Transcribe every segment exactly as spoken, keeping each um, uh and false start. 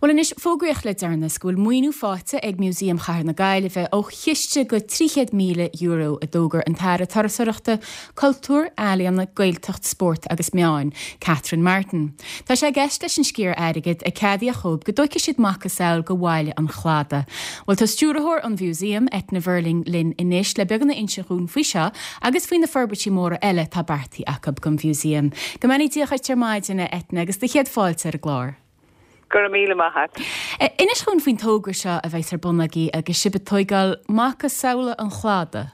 Well anois fógraíodh le deireanas go bhfuil maoiniú faighte ag Músaem Chathair na Gaillimhe ó chiste go trí chéad míle euro a d'fhógair an tAire Turasóireachta, Cultúir, Ealaíona, Gaeltacht, Spórt agus Meáin, Catherine Martin. Tá sé i gceist leis an sciar airgid a ceadaíodh dóibh go dtógfaidh siad macasamhail go Bhaile an Chladaigh. Bhuel tá stiúrthóir an Mhúsaeim, Eithne Verling linn anois le beagán a inse dhúinn faoi seo agus faoi na forbairtí móra eile atá beartaithe acu don Mhúsaem. Go mbeannaí Dia dhuit ar maidin Eithne agus do chéad fáilte ar an gclár. Go raibh míle maith agat. Inis dhúinn faoin togra seo a bheas ar bun agaibh agus sibh ag tógáil macasamhla an Chladaigh.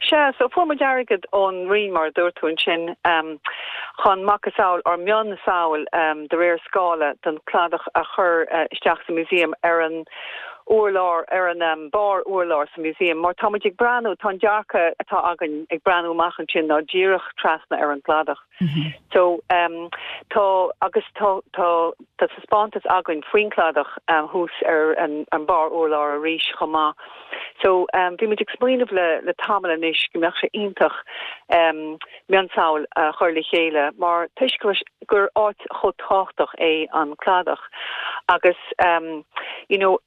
Sea, so fuair muid airgead ón Roinn mar dúirt tú ansin um, chun macasamhail or mionsamhail um, de réir scála den cladach a chur uh, isteach sa museum ar an urlár ar an um, barr urlár sa museum, mar tá ag breathnú tá dearcadh atá againn ag breathnú amach ansin ná díreach trasna ar an cladach. Mm -hmm. So um, tá agus tá tá tá taispeántas againn faoin cladach um, thuas ar an, an barr urlár arís chomh maith. So um, bhí muid ag smaoineamh le le tamall anois go mbeadh sé iontach um, mionsamhail uh, chur le chéile mar toisc gur áit chomh tábhachtach é an cladach agus um, you know,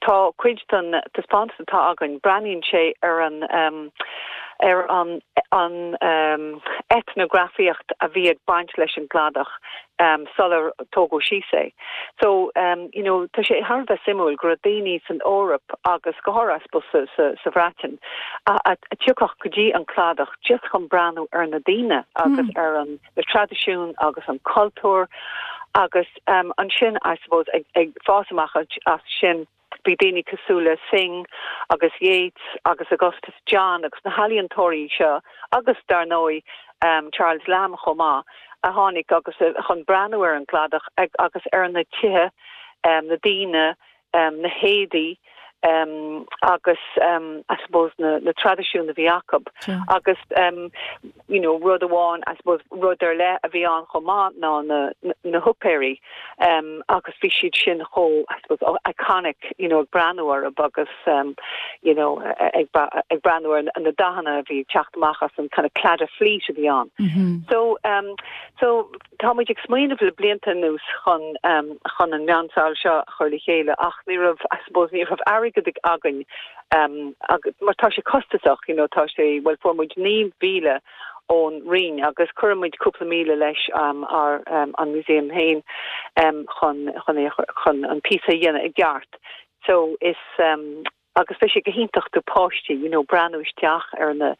tá cuid den taispeántas atá againn breathnaíonn sé ar an um, ar an an um, eitneagrafaíocht a bhí ag baint leis an gcladach um, sular tógadh síos é. So um, you know, tá sé thar bheith suimiúil go raibh daoine san Eoraip agus go háirithe sa, sa, sa Bhreatain a, a, a thiocfadh go dtí an cladach just chun breathnú ar na daoine agus mm. ar an na traidisiún agus an cultúr agus um, ansin I suppose ag, ag fás amach as sin bhí daoine cosúil le Synge agus Yeats agus Augustus John agus na healaíontóirí seo agus dar ndóigh um, Charles Lamb chomh maith a tháinig agus uh, chun breathnú ar an gcladach agus ar na tithe um, na daoine um, na héadaí um, agus um, I suppose na, na traidisiún a bhí acu yeah. agus um, you know, rud amháin I suppose rud ar leith a bhí ann chomh maith ná na, na, na húicéirí um, agus bhí siad sin chomh I suppose oh, iconic you know, ag breathnú ar agus um, you know, ag, ag breathnú ar na dathanna a bhí teacht amach as an kind of Claddagh fleet a bhí ann. Mm -hmm. So um, so tá muid ag smaoineamh le blianta anuas chun um, chun an mionsamhail seo chur le chéile ach ní raibh I suppose ní raibh airgead againn um, agus mar tá sé costasach you know, tá sé well fuair muid naoi míle ón Roinn agus chuir muid cúpla míle leis um, ar um, an museum féin um, chun chun chun an píosa a dhéanamh i gceart. So is um, agus bhí sé go hiontach do pháistí you know, breathnú isteach ar na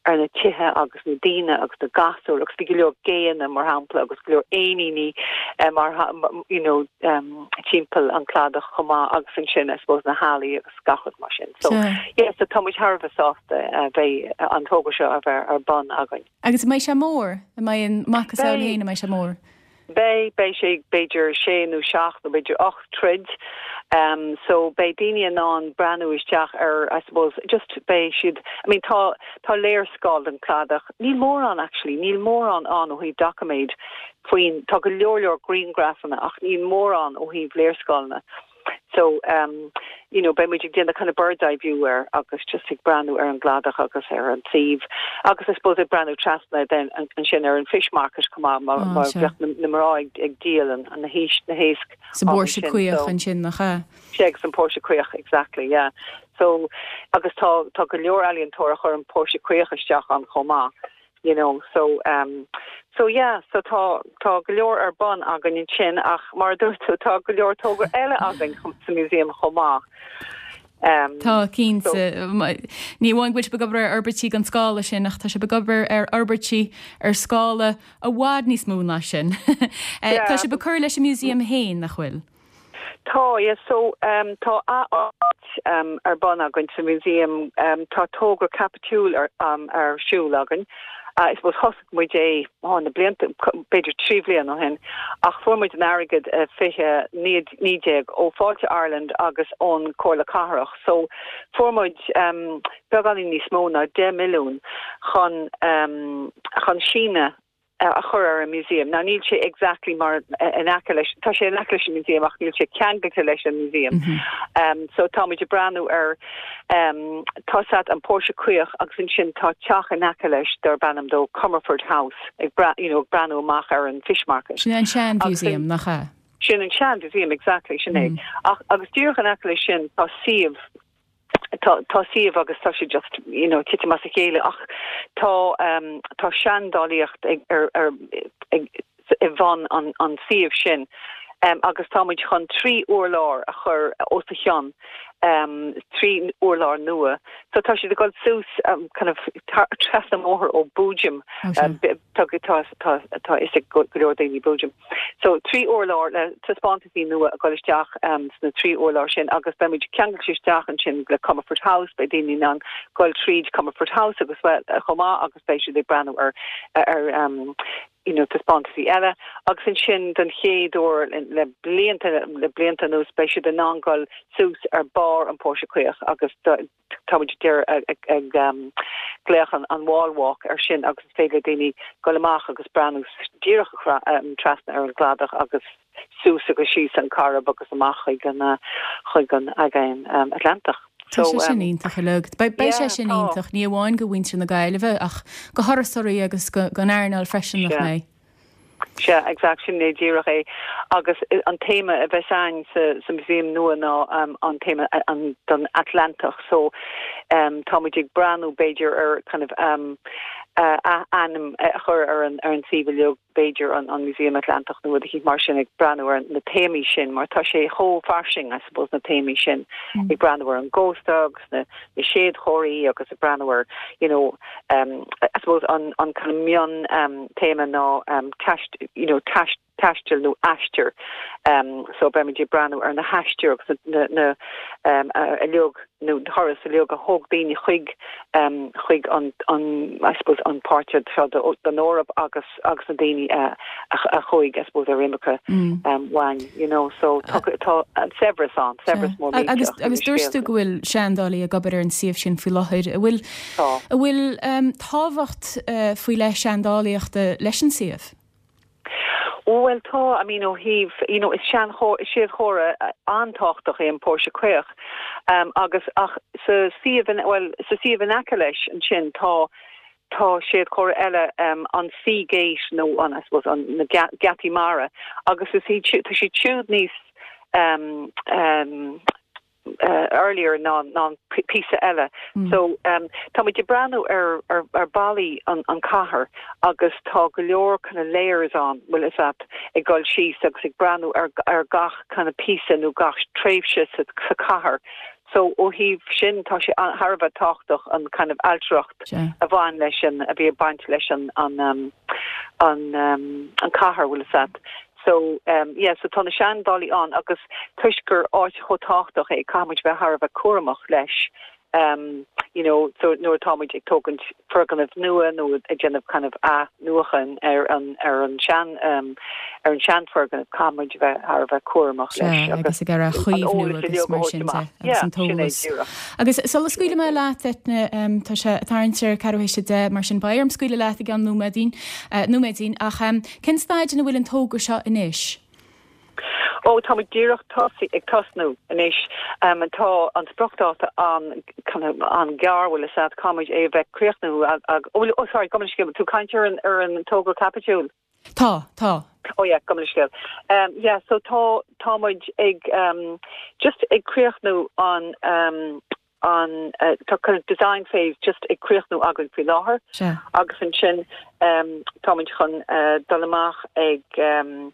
ar na tithe agus na daoine agus na gasúir agus bhí go leor géanna mar shampla agus go leor éiníní um, mar you know, um, timpeall an cladach chomh maith agus ansin I suppose na hallaí agus gach rud mar sin. So yeah, yeah so tá muid thar a bheith sásta uh, bheith uh, an togra seo a bheith ar bun againn. Agus mbeidh sé mór a mbeidh an macasamhail féin a mbeidh sé mór. Beidh beidh sé b'fhéidir sé nó seacht nó b'fhéidir ocht troigh. Um, so beidh daoine in ann breathnú isteach ar I suppose just beidh siad I mean tá tá léarscáil den cladach níl mórán actually níl mórán ann ó thaobh doiciméid faoin tá go leor leor grianghrafanna ach níl mórán ó thaobh léarscáileanna. So um, you know, beidh muid ag déanamh kind of bird's eye view air agus just ag breathnú ar an gcladach agus ar an suíomh agus I suppose ag breathnú trasna then ansin ar an fish market chomh maith mar mar na na mná ag ag díol an an na héis na héisc Sa bPóirse Caoch ansin nach ea. Sé an Póirse Caoch exactly yeah. So agus tá tá go leor ealaíontóir a chuir an Póirse Caoch isteach ann chomh maith. You know, so um so yeah so tá tá go leor ar bun againn ansin ach mar dúirt tú tá go leor togra eile againn sa museum chomh maith. Um, Tá cinnte ní amháin go bhfuil ag obair ar fhorbairtí gan scála sin ach tá sé ag obair ar fhorbairtí ar scála i bhfad níos mó ná sin. Tá sé ag cur leis an museum féin nach bhfuil. Tá yeah, so um, tá a um, ar bun againn sa museum um, tá togra caipitiúil ar, um, ar siúl againn. Uh, is thosaigh muid é á na blianta b'fhéidir trí bliana ó shin ach fuair muid an airgead uh, fiche naoi déag ó Fáilte Ireland agus ón Comhairle Cathrach. So fuair muid um, beagáinín níos mó ná deich milliún chun um, chun síneadh a chur ar an museum. Now níl sé exactly mar in aice leis tá sé in aice leis an museum ach níl sé ceangailte leis an museum. Mm -hmm. um, so tá muid ag breathnú ar um, tá an Póirse Caoch agus ansin tá teach in aice leis darb ainm dó Comerford House ag bra you know, breathnú amach ar an fish market. Sin an sean museum nach ea? Sin an sean museum exactly sin é. Mm. Ach agus díreach in aice leis sin tá suíomh tá tá suíomh agus tá sé just you know titim as a chéile ach tá um, tá seandálaíocht ag ar ar ag i bhun an an suíomh sin um, agus táimid chun trí urlár a chur os a chionn um, trí urlár nua. So tá siad ag dul suas um, kind of trasna mbóthar ó Boojum um, tá tá tá is go leor daoine Boojum. So trí urlár le taispeántaisí nua ag dul isteach um, sna trí urlár sin agus beimid ceangailte isteach ansin le Comerford House beidh daoine in ann dul tríd Comerford House agus well chomh maith agus beidh siad ag breathnú ar ar um, you know taispeántaisí eile agus ansin den chéad uair le blianta le blianta anuas beidh siad in ann dul suas ar barr an Póirse Caoch agus táimid deir ag ag um, glaoch an, an wall walk ar sin agus is féidir daoine dul amach agus breathnú díreach um, trasna ar an gcladach agus suas agus síos an Coirib agus amach chuig an uh, chuig an aigéan um, Atlantach. Tá sé sin iontach uilig. Beidh sé sin iontach ní amháin do mhuintir na Gaillimhe ach do thurasóirí agus don earnáil freisin nach mé. Sea exact sin é díreach é agus an téama a bheas ann sa, sa museum nua ná um, an téama an don Atlantach so um, táimid ag breathnú b'fhéidir ar kind of um, uh, ainm a chur ar an ar an suíomh b'fhéidir an, an Museum Atlantach nó rud mar sin ag breathnú ar na téamaí sin mar tá sé chomh fairsing I suppose na téamaí sin mm. ag breathnú ar an gcósta agus na na séadchomharthaí agus ag breathnú ar you know um, I suppose an an kind of mion um, téama ná um, taist you know taist taisteal nó aistear um, so beimid ag breathnú ar na haistir agus na, na um, a uilig nó turas uilig a thóg daoine chuig um, chuig an, an I suppose an páirt seo den Eoraip agus agus na daoine uh, a, a chuaigh I suppose ar imirce mm. um, uainn you know so tá tá an saibhreas an saibhreas mór agus agus dúirt tú go bhfuil seandálaí ag obair ar an suíomh sin faoi láthair a bhfuil a bhfuil um, tábhacht uh, faoi leith seandálaíochta leis an suíomh. Well tá I mean ó thaobh you know is sean séadchomhartha an-tábhachtach é an Póirse Caoch um, agus ach sa suíomh well sa suíomh in aice leis ansin tá tá séadchomhartha eile um, an Sea Gate nó an I suppose an na geataí mara agus is tá sé siúd níos um, um, uh, earlier ná ná píosa eile mm. so um, tá muid ag breathnú ar ar, ar ballaí an, an cathair agus tá go leor kind of layers an bhfuil is at ag dul síos agus ag breathnú ar, ar gach kind of píosa nó gach tréimhse sa, sa cathair so ó thaobh sin tá sé thar a bheith tábhachtach an kind of ailtireacht yeah. a bhain leis an a bhí baint leis an an um, an um, an cathair bhfuil is at so um yeah so tá na seandálaí ann agus toisc gur áit chomh tábhachtach é caithfimid bheith thar a bheith cúramach leis um you know so nuair táimid ag tógaint foirgneamh nua nó ag déanamh kind of athnuachan ar an ar an sean um ar an seanfhoirgneamh caithfimid bheith thar a bheith cúramach leis agus ag a chaomhnú agus mar sin agus an t-eolas. Agus sula scaoilfidh mé leat Eithne um, tá sé tarraingt ar ceathrú théis a deich mar sin beidh orm scaoileadh leat i gceann nóiméidín uh, nóiméidín ach um, cén staid ina bhfuil an togra seo anois? Ó tá díreach tosaí ag tosnú anois um, tá an spriocdháta an an gearr bhfuil is at caithfimid é bheith críochnú ó sorry gabh mo leithscéal tú caint ar an ar an togra caipitiúil. Tá tá. Oh yeah, gabh mo leithscéal. Um, yeah, so tá táimid ag um, just ag críochnú an um, an uh, tá kind of design phase just ag críochnú againn faoi láthair agus ansin um, táimid chun uh, dul amach ag um,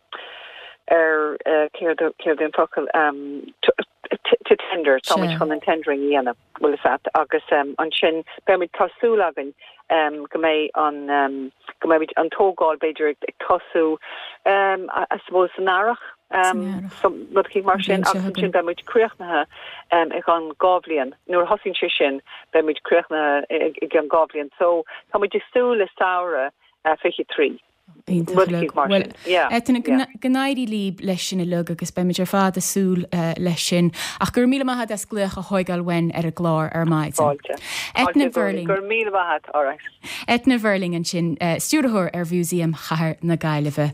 ar uh, céard an focal um, to, to tender táimid chun an tendering dhéanamh bhfuil is at agus um, ansin beimid tá súil againn um, go mbeidh an um, go mbeidh an tógáil b'fhéidir ag tosú um, I suppose san earrach um, so rud mar sin agus sin beimid críochnaithe um, i gceann dhá bhliain nuair thosaíonn sé sin beimid críochnaithe i gceann dhá bhliain so táimid ag súil le samhradh uh, fiche trí. Eithne go n-éirí libh leis sin uilig agus beimid ar fad ag súil uh, leis sin ach gur míle maith as glaoch a thógáil uainn ar an gclár ar maidin. Eithne Verling gur míle maith Eithne Verling ansin uh, stiúrthóir ar Mhúsaem Chathair na Gaillimhe.